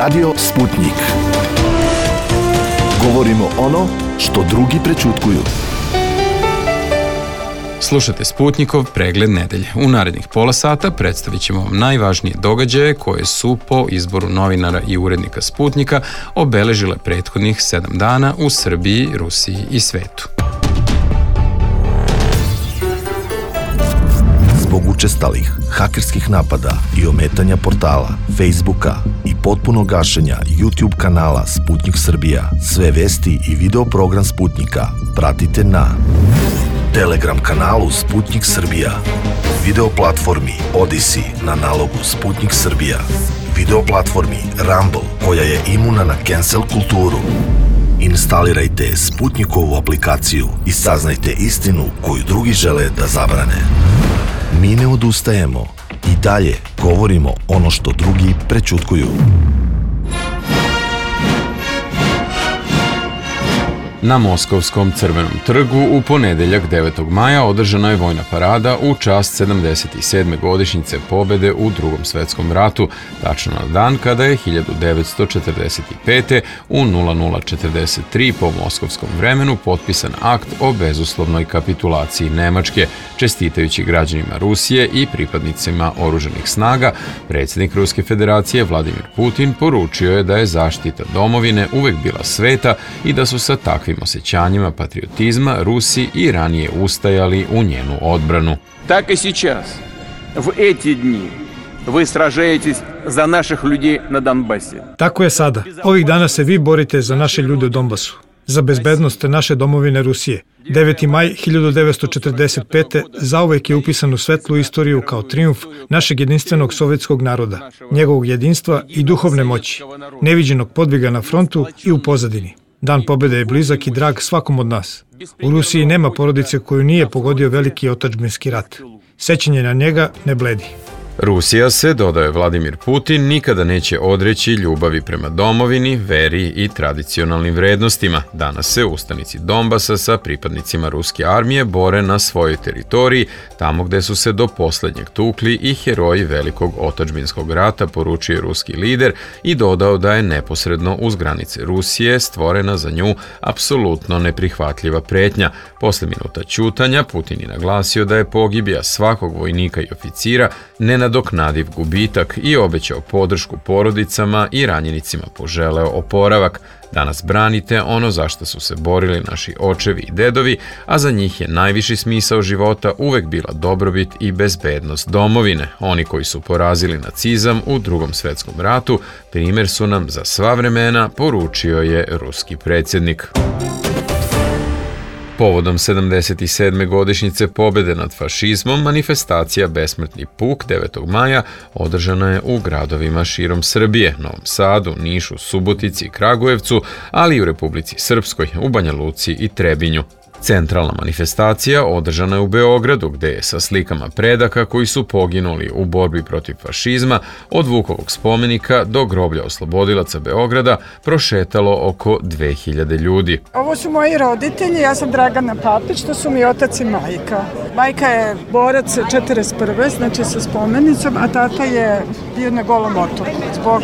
Radio Sputnik. Govorimo ono što drugi prećutkuju. Slušate Sputnikov pregled nedelje. U narednih pola sata predstavit ćemo vam najvažnije događaje koje su po izboru novinara i urednika Sputnika obeležile prethodnih 7 dana u Srbiji, Rusiji i svetu. Zbog učestalih hakerskih napada i ometanja portala, Facebooka i potpuno gašenja YouTube kanala Sputnik Srbija, sve vesti i video program Sputnika pratite na Telegram kanalu Sputnik Srbija, video platformi Odyssey na nalogu Sputnik Srbija, video platformi Rumble koja je imuna na cancel kulturu. Instalirajte Sputnikovu aplikaciju i saznajte istinu koju drugi žele da zabrane. Mi ne odustajemo i dalje govorimo ono što drugi prećutkuju. Na Moskovskom Crvenom trgu u ponedeljak 9. maja održana je vojna parada u čast 77. godišnjice pobede u Drugom svetskom ratu, tačno na dan kada je 1945. u 00:43 po moskovskom vremenu potpisan akt o bezuslovnoj kapitulaciji Nemačke. Čestitajući građanima Rusije i pripadnicima oružanih snaga, predsjednik Ruske federacije Vladimir Putin poručio je da je zaštita domovine uvek bila sveta i da su sa takvim osjećanjima patriotizma Rusi i ranije ustajali u njenu odbranu. Так и сейчас, в эти дни, вы сражаетесь за наших людей на Донбассе. Tako je sada. Ovih dana se vi borite za naše ljude u Donbasu, za bezbednost naše domovine Rusije. 9. maj 1945. zauvek je upisan u svetlu istoriju kao trijumf našeg jedinstvenog sovjetskog naroda, njegovog jedinstva i duhovne moći, neviđenog podviga na frontu i u pozadini. Dan pobjede je blizak i drag svakom od nas. U Rusiji nema porodice koju nije pogodio veliki otadžbinski rat. Sećanje na njega ne bledi. Rusija se, dodaje Vladimir Putin, nikada neće odreći ljubavi prema domovini, veri i tradicionalnim vrednostima. Danas se ustanici Donbasa sa pripadnicima ruske armije bore na svojoj teritoriji, tamo gde su se do poslednjeg tukli i heroji velikog otadžbinskog rata, poručio ruski lider i dodao da je neposredno uz granice Rusije stvorena za nju apsolutno neprihvatljiva pretnja. Posle minuta ćutanja Putin je naglasio da je pogibija svakog vojnika i oficira nenadoknadiv gubitak i obećao podršku porodicama i ranjenicima poželeo oporavak. Danas branite ono za što su se borili naši očevi i dedovi, a za njih je najviši smisao života uvek bila dobrobit i bezbednost domovine. Oni koji su porazili nacizam u Drugom svetskom ratu, primer su nam za sva vremena, poručio je ruski predsjednik. Povodom 77. godišnjice pobjede nad fašizmom, manifestacija Besmrtni puk 9. maja održana je u gradovima širom Srbije, Novom Sadu, Nišu, Subotici i Kragujevcu, ali i u Republici Srpskoj, u Banja Luci i Trebinju. Centralna manifestacija održana je u Beogradu, gde je sa slikama predaka koji su poginuli u borbi protiv fašizma od Vukovog spomenika do groblja oslobodilaca Beograda prošetalo oko 2000 ljudi. Ovo su moji roditelji, ja sam Dragana Papić, to su mi otac i majka. Majka je borac 41. znači sa spomenicom, a tata je bio na Golom otoku zbog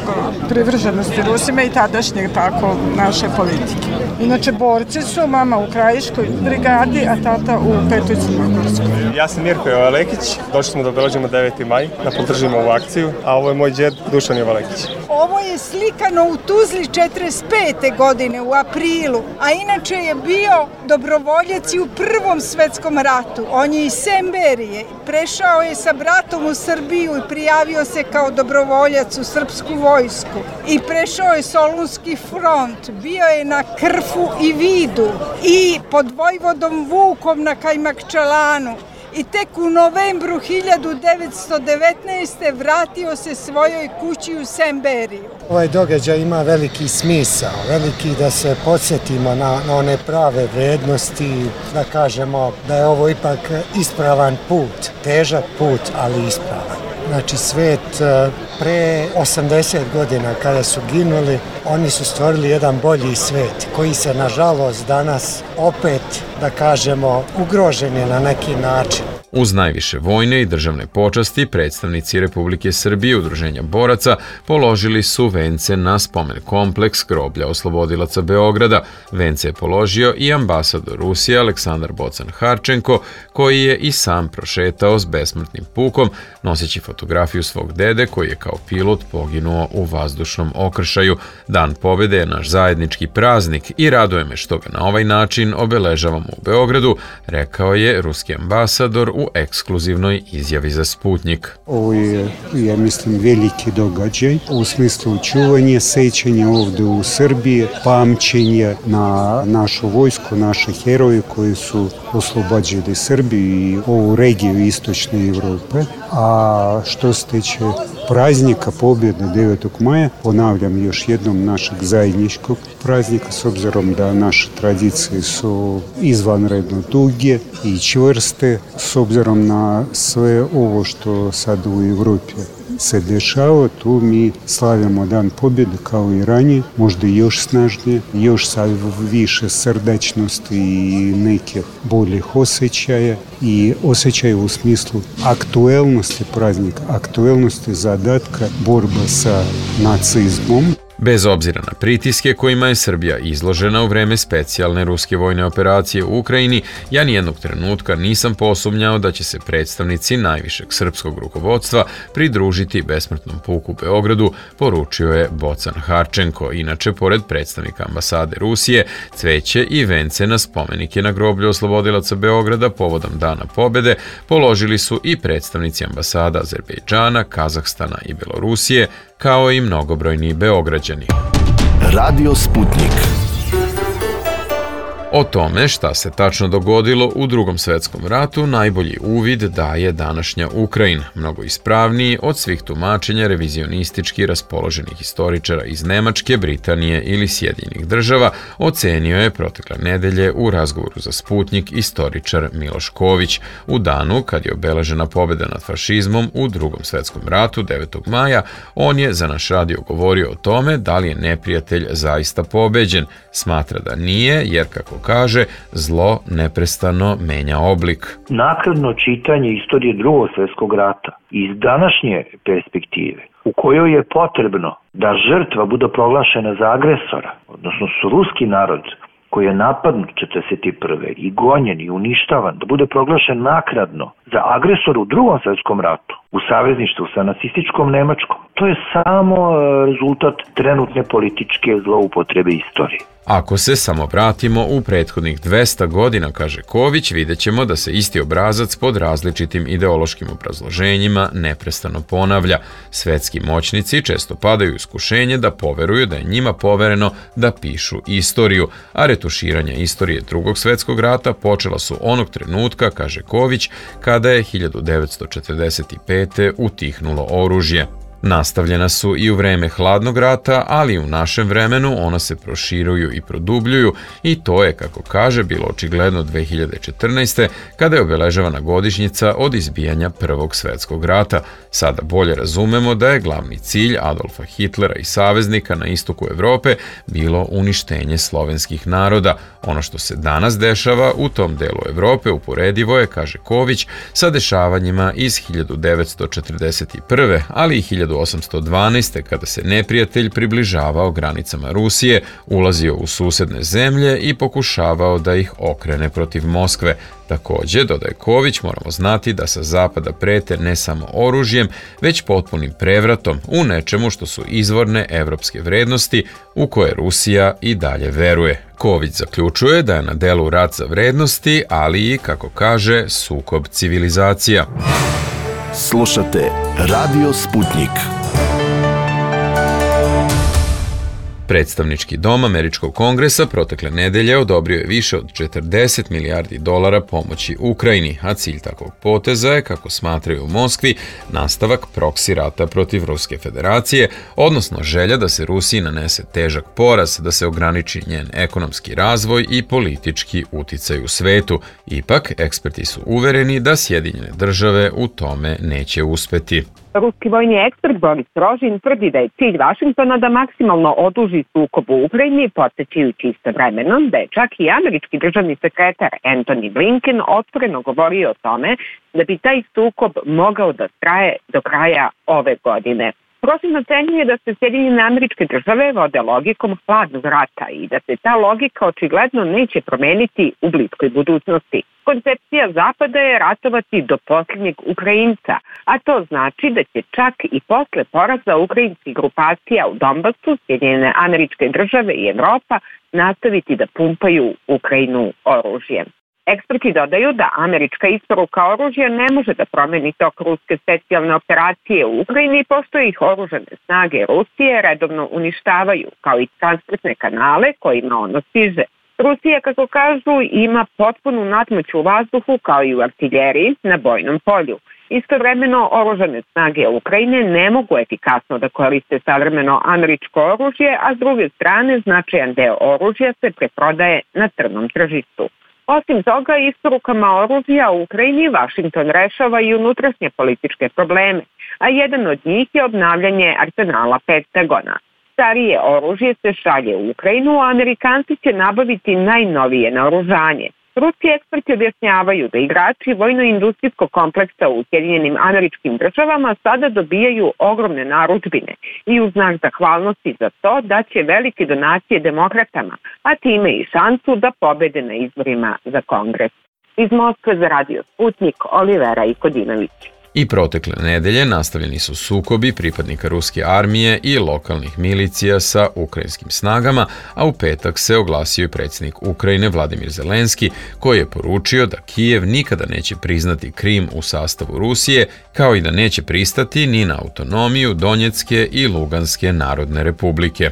privrženosti Rusima i tadašnje tako naše politike. Inače, borci su mama u Krajiškoj brigadi, a tata u 5. Crnogorskoj. Ja sam Mirko Jovalekić, došli smo da obeležimo 9. maj, da podržimo ovu akciju, a ovo je moj džed Dušan Jovalekić. Ovo je slikano u Tuzli 45. godine u aprilu, a inače je bio dobrovoljac i u Prvom svetskom ratu. On je iz Semberije, prešao je sa bratom u Srbiju i prijavio se kao dobrovoljac u srpsku vojsku i prešao je Solunski front, bio je na Krfu i Vidu i pod vojvodom Vukom na Kajmakčalanu i tek u novembru 1919. vratio se svojoj kući u Semberiju. Ovaj događaj ima veliki smisao, veliki da se podsjetimo na one prave vrednosti, da kažemo da je ovo ipak ispravan put, težak put, ali ispravan. Znači svet pre 80 godina kada su ginuli, oni su stvorili jedan bolji svet koji se nažalost danas opet, da kažemo, ugrožen je na neki način. Uz najviše vojne i državne počasti, predstavnici Republike Srbije Udruženja boraca položili su vence na spomen kompleks groblja oslobodilaca Beograda. Vence je položio i ambasador Rusije Aleksandar Bocan-Harčenko, koji je i sam prošetao s besmrtnim pukom, noseći fotografiju svog dede koji je kao pilot poginuo u vazdušnom okršaju. Dan pobjede je naš zajednički praznik i raduje me što ga na ovaj način obeležavamo u Beogradu, rekao je ruski ambasador u ekskluzivnoj izjavi za Sputnik. Ovo je, ja mislim, veliki događaj u smislu čuvanja, sećanja ovde u Srbiji, pamćenja na našu vojsku, naše heroje koji su oslobađali Srbiju i ovu regiju istočne Evrope. A što se tiče praznika pobjede 9. maja, ponavljam još jednom našeg zajedničkog praznika, s obzirom da naše tradicije su izvanredno duge i čvrste, s obzirom na sve ovo što sad u Evropi se dešava, tu mi slavimo Dan pobjede kao i ranije, možda još snažnije, još sa više srdačnosti i nekih boljih osjećaja i osjećaja u smislu aktuelnosti praznika, aktuelnosti zadatka, borba sa nacizmom. Bez obzira na pritiske kojima je Srbija izložena u vreme specijalne ruske vojne operacije u Ukrajini, ja nijednog trenutka nisam posumnjao da će se predstavnici najvišeg srpskog rukovodstva pridružiti besmrtnom puku u Beogradu, poručio je Bocan-Harčenko. Inače, pored predstavnika ambasade Rusije, cveće i vence na spomenike na groblju oslobodilaca Beograda povodom Dana pobjede položili su i predstavnici ambasada Azerbejdžana, Kazahstana i Belorusije, kao i mnogobrojni Beograđani. Radio Sputnik. O tome šta se tačno dogodilo u Drugom svetskom ratu najbolji uvid daje današnja Ukrajina, mnogo ispravniji od svih tumačenja revizionistički raspoloženih istoričara iz Nemačke, Britanije ili Sjedinjenih država, ocenio je protekle nedelje u razgovoru za Sputnik istoričar Miloš Ković. U danu kad je obeležena pobjeda nad fašizmom u Drugom svetskom ratu 9. maja, on je za naš radio govorio o tome da li je neprijatelj zaista pobeđen. Smatra da nije, jer kako kaže, zlo neprestano menja oblik. Naknadno čitanje istorije Drugog svjetskog rata iz današnje perspektive, u kojoj je potrebno da žrtva bude proglašena za agresora, odnosno su ruski narod koji je napadnut 1941. i gonjen i uništavan, da bude proglašen naknadno za agresora u Drugom svjetskom ratu, u savezništvu sa nacističkom Nemačkom. To je samo rezultat trenutne političke zloupotrebe istorije. Ako se samo vratimo u prethodnih 200 godina, kaže Ković, vidjet ćemo da se isti obrazac pod različitim ideološkim obrazloženjima neprestano ponavlja. Svetski moćnici često padaju u iskušenje da poveruju da je njima povereno da pišu istoriju, a retuširanja istorije Drugog svjetskog rata počela su onog trenutka, kaže Ković, kada je 1945. utihnulo oružje. Nastavljena su i u vreme hladnog rata, ali u našem vremenu ona se proširuju i produbljuju i to je, kako kaže, bilo očigledno 2014. kada je obeležavana godišnjica od izbijanja Prvog svjetskog rata. Sada bolje razumemo da je glavni cilj Adolfa Hitlera i saveznika na istoku Evrope bilo uništenje slovenskih naroda. Ono što se danas dešava u tom delu Evrope uporedivo je, kaže Ković, sa dešavanjima iz 1941. ali i 1812. kada se neprijatelj približavao granicama Rusije, ulazio u susedne zemlje i pokušavao da ih okrene protiv Moskve. Također, dodaje Ković, moramo znati da sa zapada prete ne samo oružjem, već potpunim prevratom u nečemu što su izvorne evropske vrednosti u koje Rusija i dalje veruje. Ković zaključuje da je na delu rat za vrednosti, ali i, kako kaže, sukob civilizacija. Slušate Radio Sputnik. Predstavnički dom Američkog kongresa protekle nedelje odobrio je više od 40 milijardi dolara pomoći Ukrajini, a cilj takvog poteza je, kako smatraju u Moskvi, nastavak proksi rata protiv Ruske federacije, odnosno želja da se Rusiji nanese težak poraz, da se ograniči njen ekonomski razvoj i politički uticaj u svetu. Ipak, eksperti su uvereni da Sjedinjene države u tome neće uspeti. Ruski vojni ekspert Boris Rožin tvrdi da je cilj Vašingtona da maksimalno oduži sukob u Ukrajini, podsjećajući istovremeno da je čak i američki državni sekretar Antony Blinken otvoreno govorio o tome da bi taj sukob mogao da traje do kraja ove godine. Rožin ocenjuje da se Sjedinjene Američke Države vode logikom hladnog rata i da se ta logika očigledno neće promeniti u bliskoj budućnosti. Koncepcija Zapada je ratovati do posljednjeg Ukrajinca, a to znači da će čak i posle poraza ukrajinskih grupacija u Donbasu Sjedinjene Američke Države i Evropa nastaviti da pumpaju Ukrajinu oružjem. Eksperti dodaju da američka isporuka oružja ne može da promeni tok ruske specijalne operacije u Ukrajini, pošto ih oružane snage Rusije redovno uništavaju, kao i transportne kanale kojima ono stiže. Rusija, kako kažu, ima potpunu nadmoć u vazduhu kao i u artiljeriji na bojnom polju. Istovremeno, oružane snage Ukrajine ne mogu efikasno da koriste savremeno američko oružje, a s druge strane značajan deo oružja se preprodaje na crnom tržištu. Osim toga, isporukama oružja u Ukrajini Vašington rešava i unutrašnje političke probleme, a jedan od njih je obnavljanje arsenala Pentagona. Starije oružje se šalje u Ukrajinu, a Amerikanci će nabaviti najnovije naoružanje. Ruski eksperti objašnjavaju da igrači vojno-industrijskog kompleksa u Sjedinjenim Američkim Državama sada dobijaju ogromne narudžbine i u znak zahvalnosti za to da će velike donacije demokratama, a time i šansu da pobede na izborima za Kongres. Iz Moskve za Radio Sputnik, Olivera Ikodinović. I protekle nedelje nastavljeni su sukobi pripadnika ruske armije i lokalnih milicija sa ukrajinskim snagama, a u petak se oglasio i predsjednik Ukrajine Vladimir Zelenski, koji je poručio da Kijev nikada neće priznati Krim u sastavu Rusije, kao i da neće pristati ni na autonomiju Donjecke i Luganske narodne republike.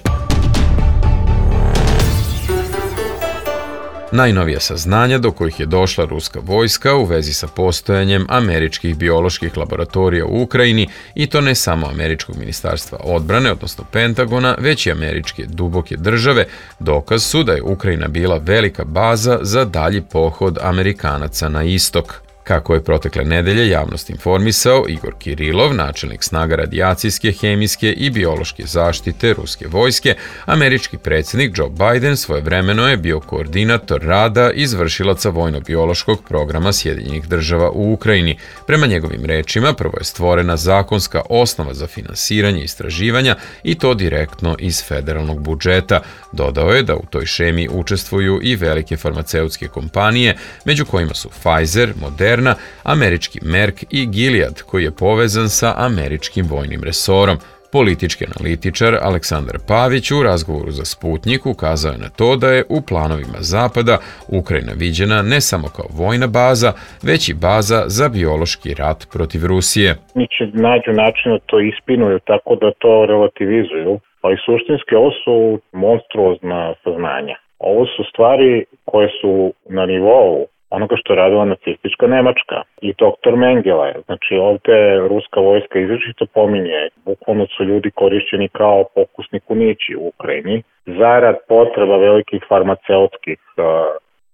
Najnovija saznanja do kojih je došla ruska vojska u vezi sa postojanjem američkih bioloških laboratorija u Ukrajini, i to ne samo američkog ministarstva odbrane, odnosno Pentagona, već i američke duboke države, dokaz su da je Ukrajina bila velika baza za dalji pohod Amerikanaca na istok. Kako je protekle nedelje javnost informisao Igor Kirilov, načelnik snaga radijacijske, hemijske i biološke zaštite ruske vojske, američki predsjednik Joe Biden svojevremeno je bio koordinator rada izvršilaca vojno-biološkog programa Sjedinjenih Država u Ukrajini. Prema njegovim rečima, prvo je stvorena zakonska osnova za finansiranje istraživanja i to direktno iz federalnog budžeta. Dodao je da u toj šemi učestvuju i velike farmaceutske kompanije, među kojima su Pfizer, Moderna, američki Merck i Gilead, koji je povezan sa američkim vojnim resorom. Politički analitičar Aleksandar Pavić u razgovoru za Sputnik ukazao je na to da je u planovima Zapada Ukrajina viđena ne samo kao vojna baza, već i baza za biološki rat protiv Rusije. Oni će nađu način da to ispinuju tako da to relativizuju, ali suštinski ovo su monstruozna saznanja. Ovo su stvari koje su na nivou onoga što je radila nacistička Nemačka i doktor Mengele. Znači ovde ruska vojska izričito pominje, bukvalno su ljudi korišćeni kao pokusni kunići u Ukrajini zarad potreba velikih farmaceutskih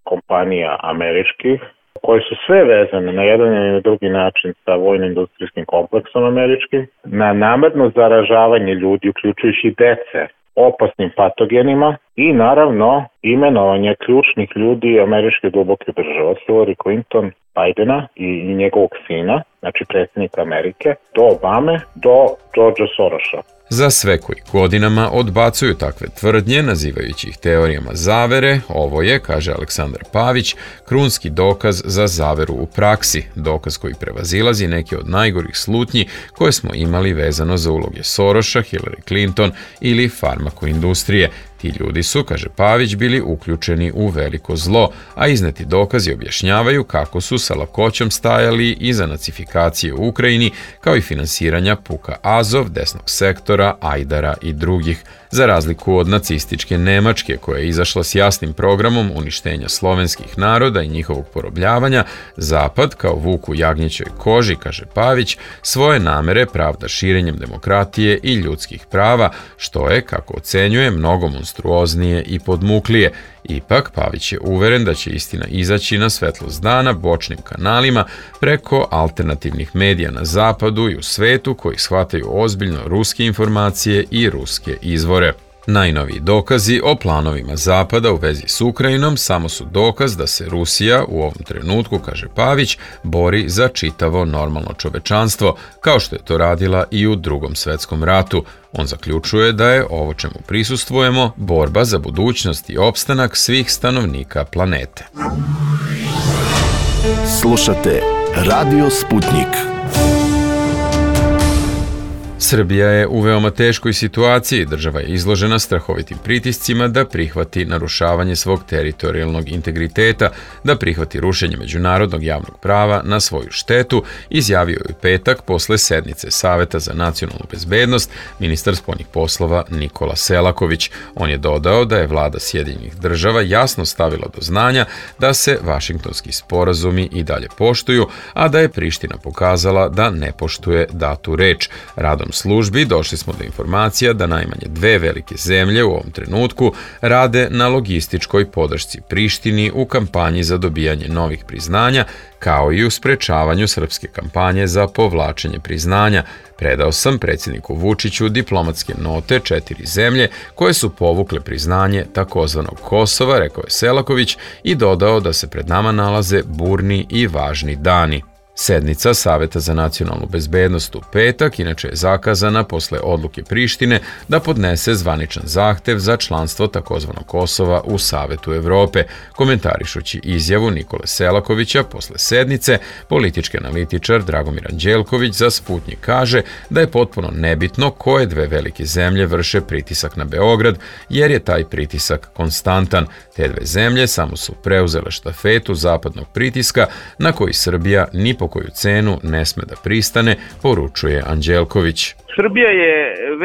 kompanija američkih, koje su sve vezane na jedan ili na drugi način sa vojno-industrijskim kompleksom američkim, na namerno zaražavanje ljudi, uključujući dece, opasnim patogenima i naravno imenovanje ključnih ljudi američke duboke države, Hillary Clinton, Bidena i njegovog sina, znači predsjednika Amerike, do Obame, do Georgea Sorosa. Za sve koji godinama odbacuju takve tvrdnje, nazivajući ih teorijama zavere, ovo je, kaže Aleksandar Pavić, krunski dokaz za zaveru u praksi, dokaz koji prevazilazi neke od najgorih slutnji koje smo imali vezano za uloge Sorosa, Hillary Clinton ili farmakoindustrije. Ti ljudi su, kaže Pavić, bili uključeni u veliko zlo, a izneti dokazi objašnjavaju kako su sa lakoćom stajali iza nacifikacije u Ukrajini, kao i finansiranja puka Azov, desnog sektora, Ajdara i drugih. Za razliku od nacističke Nemačke, koja je izašla s jasnim programom uništenja slovenskih naroda i njihovog porobljavanja, Zapad, kao vuk u jagnjećoj koži, kaže Pavić, svoje namere pravda širenjem demokratije i ljudskih prava, što je, kako ocenjuje, mnogo monstruoznije i podmuklije. Ipak, Pavić je uveren da će istina izaći na svetlost dana bočnim kanalima preko alternativnih medija na zapadu i u svetu koji shvataju ozbiljno ruske informacije i ruske izvore. Najnoviji dokazi o planovima Zapada u vezi s Ukrajinom samo su dokaz da se Rusija u ovom trenutku, kaže Pavić, bori za čitavo normalno čovečanstvo, kao što je to radila i u Drugom svetskom ratu. On zaključuje da je ovo čemu prisustvujemo borba za budućnost i opstanak svih stanovnika planete. Slušate Radio Sputnik. Srbija je u veoma teškoj situaciji, država je izložena strahovitim pritiscima da prihvati narušavanje svog teritorijalnog integriteta, da prihvati rušenje međunarodnog javnog prava na svoju štetu, izjavio je u petak posle sednice Saveta za nacionalnu bezbednost ministar spoljnih poslova Nikola Selaković. On je dodao da je vlada Sjedinjenih država jasno stavila do znanja da se vašingtonski sporazumi i dalje poštuju, a da je Priština pokazala da ne poštuje datu reč. Radom službi došli smo do informacija da najmanje dve velike zemlje u ovom trenutku rade na logističkoj podršci Prištini u kampanji za dobijanje novih priznanja, kao i u sprečavanju srpske kampanje za povlačenje priznanja. Predao sam predsjedniku Vučiću diplomatske note 4 zemlje koje su povukle priznanje takozvanog Kosova, rekao je Selaković i dodao da se pred nama nalaze burni i važni dani. Sednica Saveta za nacionalnu bezbednost u petak inače je zakazana posle odluke Prištine da podnese zvaničan zahtev za članstvo takozvanog Kosova u Savetu Evrope. Komentarišući izjavu Nikole Selakovića posle sednice, politički analitičar Dragomir Anđelković za Sputnik kaže da je potpuno nebitno koje dve velike zemlje vrše pritisak na Beograd, jer je taj pritisak konstantan. Te dve zemlje samo su preuzele štafetu zapadnog pritiska na koji Srbija ni po koju cenu ne sme da pristane, poručuje Anđelković. Srbija je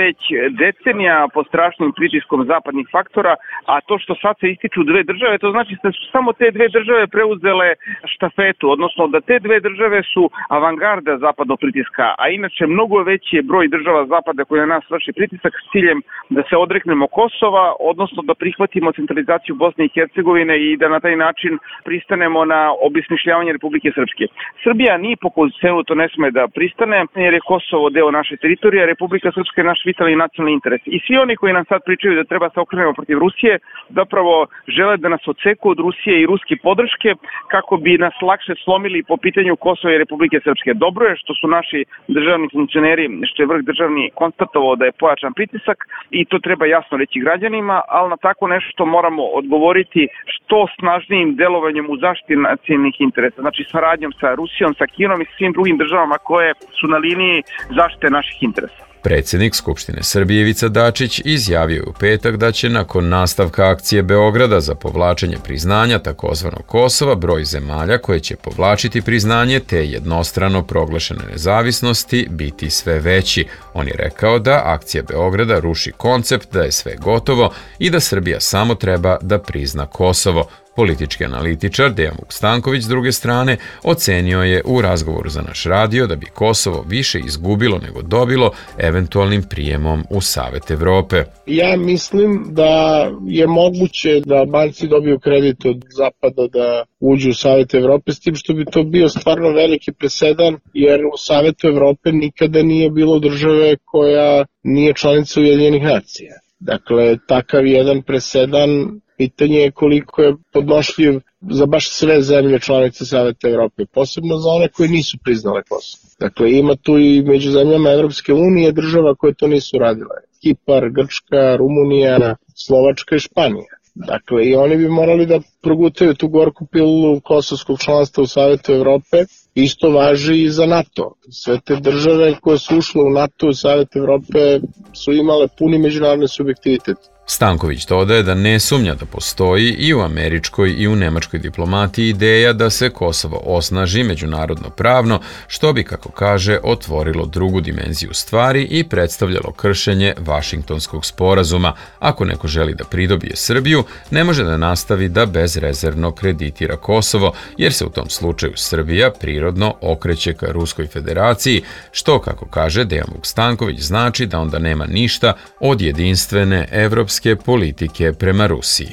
već decenija pod strašnim pritiskom zapadnih faktora, a to što sad se ističu dve države, to znači da su samo te dve države preuzele štafetu, odnosno da te dve države su avangarda zapadnog pritiska, a inače mnogo veći je broj država zapada koji na nas vrši pritisak s ciljem da se odreknemo Kosova, odnosno da prihvatimo centralizaciju Bosne i Hercegovine i da na taj način pristanemo na obesmišljavanje Republike Srpske. Srbija ni po koju cenu to ne sme da pristane, jer je Kosovo deo naše teritorije, Republika Srpska je naš vitalni nacionalni interes. I svi oni koji nam sad pričaju da treba se okrenemo protiv Rusije, zapravo žele da nas odseku od Rusije i ruske podrške kako bi nas lakše slomili po pitanju Kosova i Republike Srpske. Dobro je što su naši državni funkcioneri, što je vrh državni konstatovao da je pojačan pritisak i to treba jasno reći građanima, ali na tako nešto moramo odgovoriti što snažnijim delovanjem u zaštiti nacionalnih interesa, znači saradnjom sa Rusijom, sa Kinom i svim drugim državama koje su na liniji zaštite naših interesa. Predsjednik Skupštine Srbije Ivica Dačić izjavio je u petak da će nakon nastavka akcije Beograda za povlačenje priznanja takozvanog Kosova broj zemalja koje će povlačiti priznanje te jednostrano proglašene nezavisnosti biti sve veći. On je rekao da akcija Beograda ruši koncept da je sve gotovo i da Srbija samo treba da prizna Kosovo. Politički analitičar Dejan Vukstanković s druge strane ocenio je u razgovoru za naš radio da bi Kosovo više izgubilo nego dobilo eventualnim prijemom u Savet Evrope. Ja mislim da je moguće da Albanci dobiju kredit od Zapada da uđu u Savet Evrope, s tim što bi to bio stvarno veliki presedan, jer u Savetu Evrope nikada nije bilo države koja nije članica Ujedinjenih nacija. Dakle, takav jedan presedan, pitanje je koliko je podnošljiv za baš sve zemlje članice Saveta Evrope, posebno za one koje nisu priznale Kosovo. Dakle, ima tu i među zemljama Evropske unije država koje to nisu radile. Kipar, Grčka, Rumunija, Slovačka i Španija. Dakle, i oni bi morali da progutaju tu gorku pilulu kosovskog članstva u Savetu Evrope. Isto važi i za NATO. Sve te države koje su ušle u NATO u Savet Evrope su imale puni međunarodni subjektivitet. Stanković dodaje da ne sumnja da postoji i u američkoj i u nemačkoj diplomatiji ideja da se Kosovo osnaži međunarodno pravno, što bi, kako kaže, otvorilo drugu dimenziju stvari i predstavljalo kršenje Vašingtonskog sporazuma. Ako neko želi da pridobije Srbiju, ne može da nastavi da bezrezervno kreditira Kosovo, jer se u tom slučaju Srbija prirodno okreće ka Ruskoj federaciji, što, kako kaže Dejan Vukstanković, znači da onda nema ništa od jedinstvene evropske evropske politike prema Rusiji.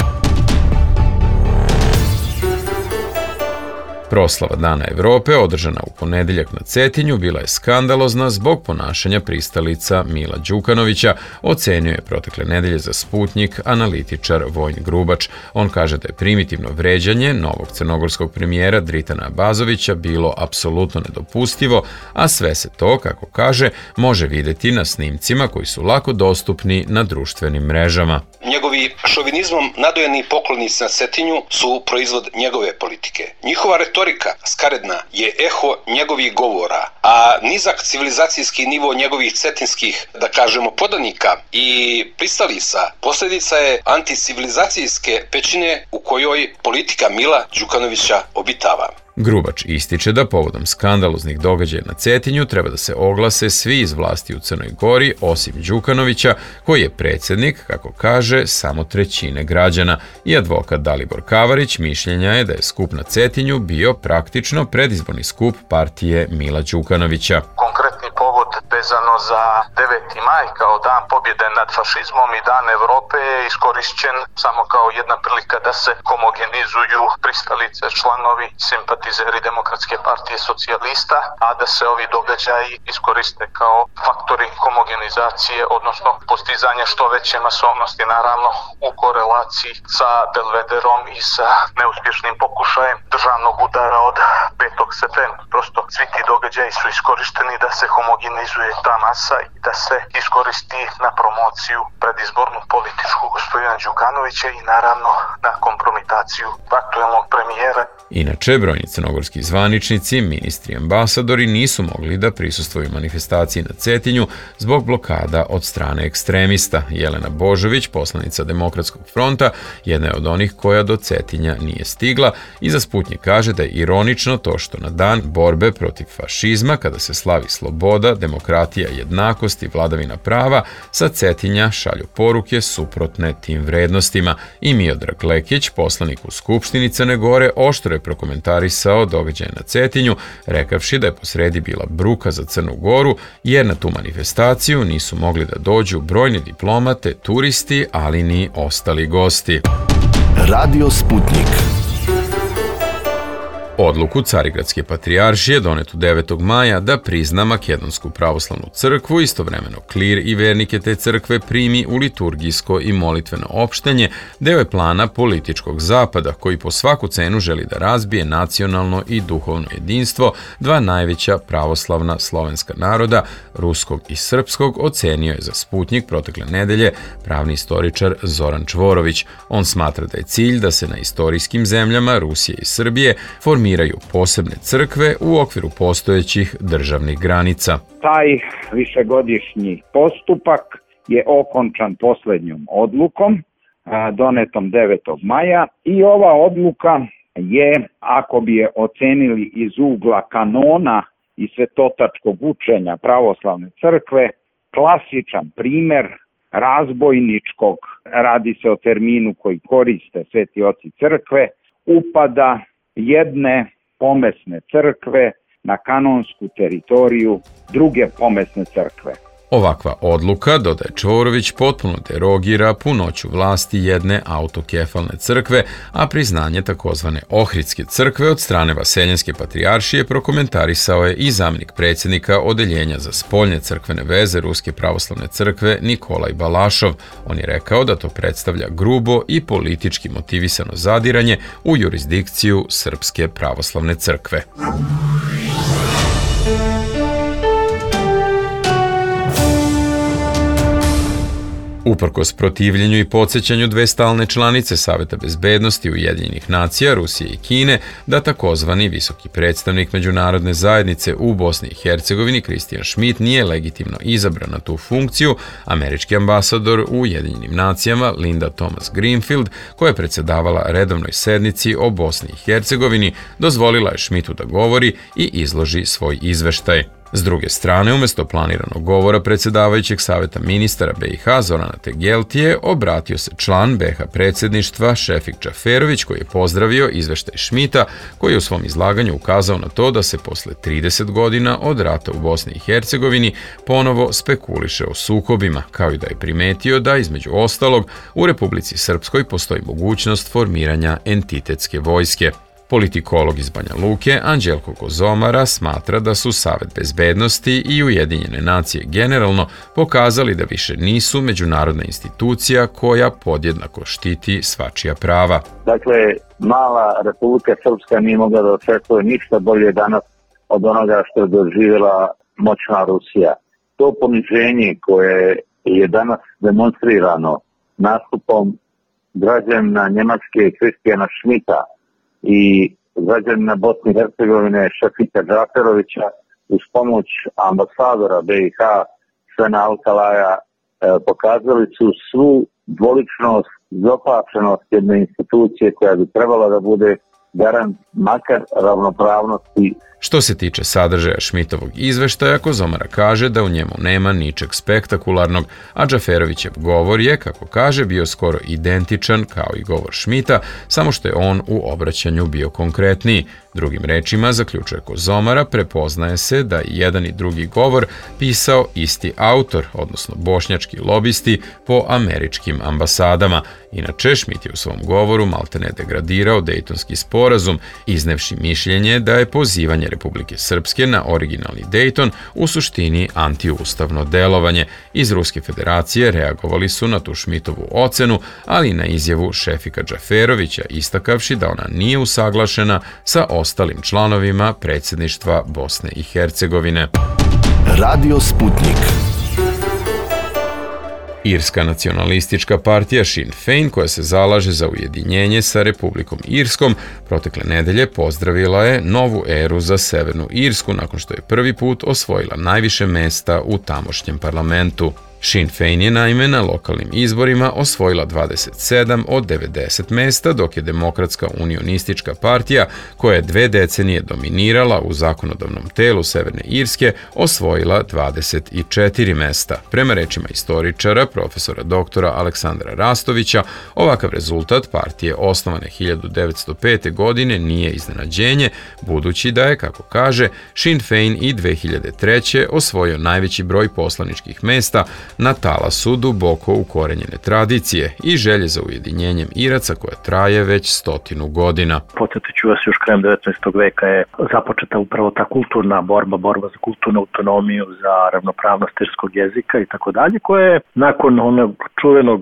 Proslava Dana Evrope, održana u ponedeljak na Cetinju, bila je skandalozna zbog ponašanja pristalica Mila Đukanovića, ocenio je protekle nedelje za Sputnjik analitičar Vojin Grubač. On kaže da je primitivno vređanje novog crnogorskog premijera Dritana Abazovića bilo apsolutno nedopustivo, a sve se to, kako kaže, može videti na snimcima koji su lako dostupni na društvenim mrežama. Njegovi šovinizmom nadojeni poklonici na Cetinju su proizvod njegove politike. Njihova retorika skaredna je eho njegovih govora, a nizak civilizacijski nivo njegovih cetinskih, da kažemo, podanika i pristalica posljedica je anticivilizacijske pećine u kojoj politika Mila Đukanovića obitava. Grubač ističe da povodom skandaloznih događaja na Cetinju treba da se oglase svi iz vlasti u Crnoj Gori, osim Đukanovića, koji je predsjednik, kako kaže, samo trećine građana. I advokat Dalibor Kavarić mišljenja je da je skup na Cetinju bio praktično predizborni skup partije Mila Đukanovića. Konkretni povod vezano za 9. maj kao dan pobjede nad fašizmom i dan Evrope je iskorišćen samo kao jedna prilika da se homogenizuju pristalice, članovi, simpatizeri Demokratske partije socijalista, a da se ovi događaji iskoriste kao faktori homogenizacije, odnosno postizanja što veće masovnosti, naravno u korelaciji sa Belvederom i sa neuspješnim pokušajem državnog udara od 5. septembra. Prosto svi ti događaji su iskorišteni da se homogenizuje ta masa i da se iskoristi na promociju predizbornu političku gospodina Đukanovića i naravno na kompromitaciju aktuelnog premijera. Inače, brojni crnogorski zvaničnici, ministri i ambasadori nisu mogli da prisustvuju manifestaciji na Cetinju zbog blokada od strane ekstremista. Jelena Božović, poslanica Demokratskog fronta, jedna je od onih koja do Cetinja nije stigla i za Sputnjik kaže da je ironično to što na dan borbe protiv fašizma, kada se slavi sloboda, demokratija, jednakost i vladavina prava, sa Cetinja šalju poruke suprotne tim vrednostima. I Miodrag Lekić, poslanik u Skupštini Crne Gore, oštro je prokomentarisao događaje na Cetinju, rekavši da je posredi bila bruka za Crnu Goru, jer na tu manifestaciju nisu mogli da dođu brojni diplomate, turisti, ali ni ostali gosti. Radio Sputnik. Odluku Carigradske patrijaršije donetu 9. maja da prizna Makedonsku pravoslavnu crkvu, istovremeno klir i vernike te crkve primi u liturgijsko i molitveno opštenje, deo je plana političkog zapada koji po svaku cenu želi da razbije nacionalno i duhovno jedinstvo dva najveća pravoslavna slovenska naroda, ruskog i srpskog, ocenio je za Sputnjik protekle nedelje pravni istoričar Zoran Čvorović. On smatra da je cilj da se na istorijskim zemljama Rusije i Srbije formiraju posebne crkve u okviru postojećih državnih granica. Taj višegodišnji postupak je okončan posljednjom odlukom donetom 9. maja i ova odluka je, ako bi je ocenili iz ugla kanona i svetotačkog učenja pravoslavne crkve, klasičan primer razbojničkog, radi se o terminu koji koriste sveti oci crkve, upada jedne pomesne crkve na kanonsku teritoriju druge pomesne crkve. Ovakva odluka, dodaje Čvorović, potpuno derogira punoću vlasti jedne autokefalne crkve, a priznanje takozvane Ohridske crkve od strane Vaseljenske patrijaršije prokomentarisao je i zamjenik predsjednika Odeljenja za spoljne crkvene veze Ruske pravoslavne crkve Nikolaj Balašov. On je rekao da to predstavlja grubo i politički motivisano zadiranje u jurisdikciju Srpske pravoslavne crkve. Uprkos protivljenju i podsjećanju dve stalne članice Saveta bezbednosti Ujedinjenih nacija, Rusije i Kine, da takozvani visoki predstavnik međunarodne zajednice u Bosni i Hercegovini Christian Schmidt nije legitimno izabran na tu funkciju, američki ambasador u Ujedinjenim nacijama Linda Thomas Greenfield, koja je predsjedavala redovnoj sednici o Bosni i Hercegovini, dozvolila je Schmidtu da govori i izloži svoj izveštaj. S druge strane, umjesto planiranog govora predsjedavajućeg savjeta ministara BiH Zorana Tegeltije, obratio se član BiH predsjedništva Šefik Džaferović, koji je pozdravio izveštaj Šmita, koji je u svom izlaganju ukazao na to da se posle 30 godina od rata u Bosni i Hercegovini ponovo spekuliše o sukobima, kao i da je primetio da, između ostalog, u Republici Srpskoj postoji mogućnost formiranja entitetske vojske. Politikolog iz Banja Luke, Anđelko Kozomara, smatra da su Savet bezbednosti i Ujedinjene nacije generalno pokazali da više nisu međunarodna institucija koja podjednako štiti svačija prava. Dakle, mala Republika Srpska nije mogla da očekuje ništa bolje danas od onoga što je doživjela moćna Rusija. To poniženje koje je danas demonstrirano nastupom građana Njemačke Kristijana Šmita i građanina Bosne i Hercegovine Šefika Džaferovića uz pomoć ambasadora BiH Svena Alkalaja pokazali su svu dvoličnost, zopačenost jedne institucije koja bi trebala da bude garant makar ravnopravnosti. Što se tiče sadržaja Šmitovog izveštaja, Kozomara kaže da u njemu nema ničeg spektakularnog, a Džaferovićev govor je, kako kaže, bio skoro identičan kao i govor Šmita, samo što je on u obraćanju bio konkretniji. Drugim rečima, zaključuje Kozomara, prepoznaje se da i jedan i drugi govor pisao isti autor, odnosno bošnjački lobisti po američkim ambasadama. Inače, Šmit je u svom govoru maltene degradirao Dejtonski sporazum, iznevši mišljenje da je pozivanje Republike Srpske na originalni Dejton u suštini antiustavno delovanje. Iz Ruske federacije reagovali su na tu Šmitovu ocenu, ali i na izjavu Šefika Džaferovića, istakavši da ona nije usaglašena sa ostalim članovima predsjedništva Bosne i Hercegovine. Radio Sputnik. Irska nacionalistička partija Sinn Féin, koja se zalaže za ujedinjenje sa Republikom Irskom, protekle nedelje pozdravila je novu eru za Severnu Irsku nakon što je prvi put osvojila najviše mesta u tamošnjem parlamentu. Sinn Féin je naime na lokalnim izborima osvojila 27 od 90 mesta, dok je Demokratska unionistička partija, koja je 2 decenije dominirala u zakonodavnom telu Severne Irske, osvojila 24 mesta. Prema rečima istoričara, profesora doktora Aleksandra Rastovića, ovakav rezultat partije osnovane 1905. godine nije iznenađenje, budući da je, kako kaže, Sinn Féin i 2003. osvojio najveći broj poslaničkih mesta na talasu duboko ukorenjene tradicije i želje za ujedinjenjem Iraca koja traje već 100 godina. Podsjetit ću vas, još krajem 19. veka je započeta upravo ta kulturna borba za kulturnu autonomiju, za ravnopravnost irskog jezika i tako dalje, koja je nakon onog čuvenog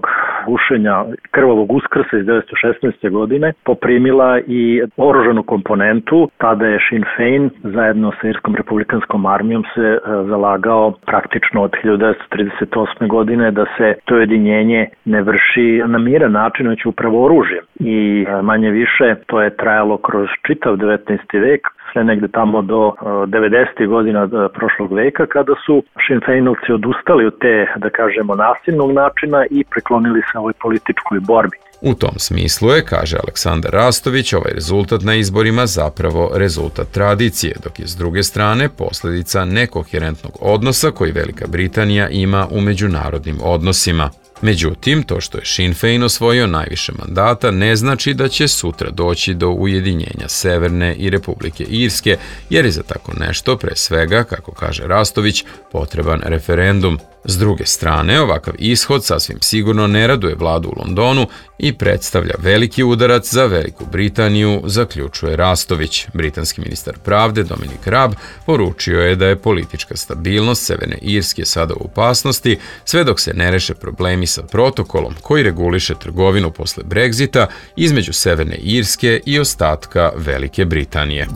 gušenja krvavog uskrsa iz 1916. godine poprimila i oružanu komponentu. Tada je Sinn Féin zajedno sa Irskom republikanskom armijom se zalagao praktično od 1938. godine da se to ujedinjenje ne vrši na miran način, već upravo oružjem. I manje više to je trajalo kroz čitav 19. vek, sve negde tamo do 90. godina prošlog veka, kada su Sinn Féinovci odustali od te, da kažemo, nasilnog načina i preklonili se ovoj političkoj borbi. U tom smislu je, kaže Aleksandar Rastović, ovaj rezultat na izborima zapravo rezultat tradicije, dok je s druge strane posljedica nekoherentnog odnosa koji Velika Britanija ima u međunarodnim odnosima. Međutim, to što je Sinn Féin osvojio najviše mandata ne znači da će sutra doći do ujedinjenja Severne i Republike Irske, jer je za tako nešto, pre svega, kako kaže Rastović, potreban referendum. S druge strane, ovakav ishod sasvim sigurno ne raduje vladu u Londonu i predstavlja veliki udarac za Veliku Britaniju, zaključuje Rastović. Britanski ministar pravde Dominic Raab poručio je da je politička stabilnost Severne Irske sada u opasnosti, sve dok se ne reše problemi sa protokolom koji reguliše trgovinu posle Brexita između Severne Irske i ostatka Velike Britanije.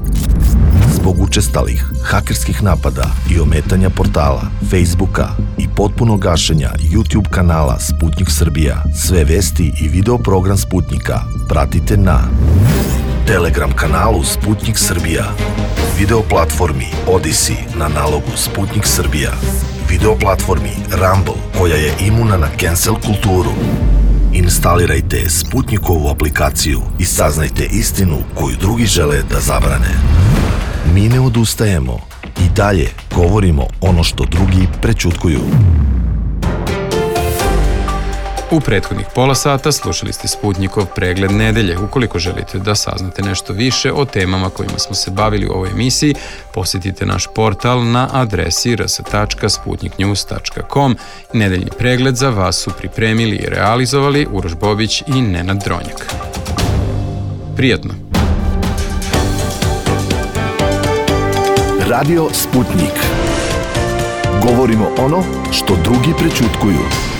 Zbog učestalih hakerskih napada i ometanja portala, Facebooka i potpunog gašenja YouTube kanala Sputnik Srbija, sve vesti i video program Sputnika pratite na Telegram kanalu Sputnik Srbija, video platformi Odyssey na nalogu Sputnik Srbija, video platformi Rumble koja je imuna na cancel kulturu. Instalirajte Sputnikovu aplikaciju i saznajte istinu koju drugi žele da zabrane. Mi ne odustajemo. I dalje govorimo ono što drugi prećutkuju. U prethodnih pola sata slušali ste Sputnjikov pregled nedelje. Ukoliko želite da saznate nešto više o temama kojima smo se bavili u ovoj emisiji, posjetite naš portal na adresi rs.sputniknews.com. Nedeljni pregled za vas su pripremili i realizovali Uroš Bobić i Nenad Dronjak. Prijatno! Radio Sputnik. Govorimo ono što drugi prećutkuju.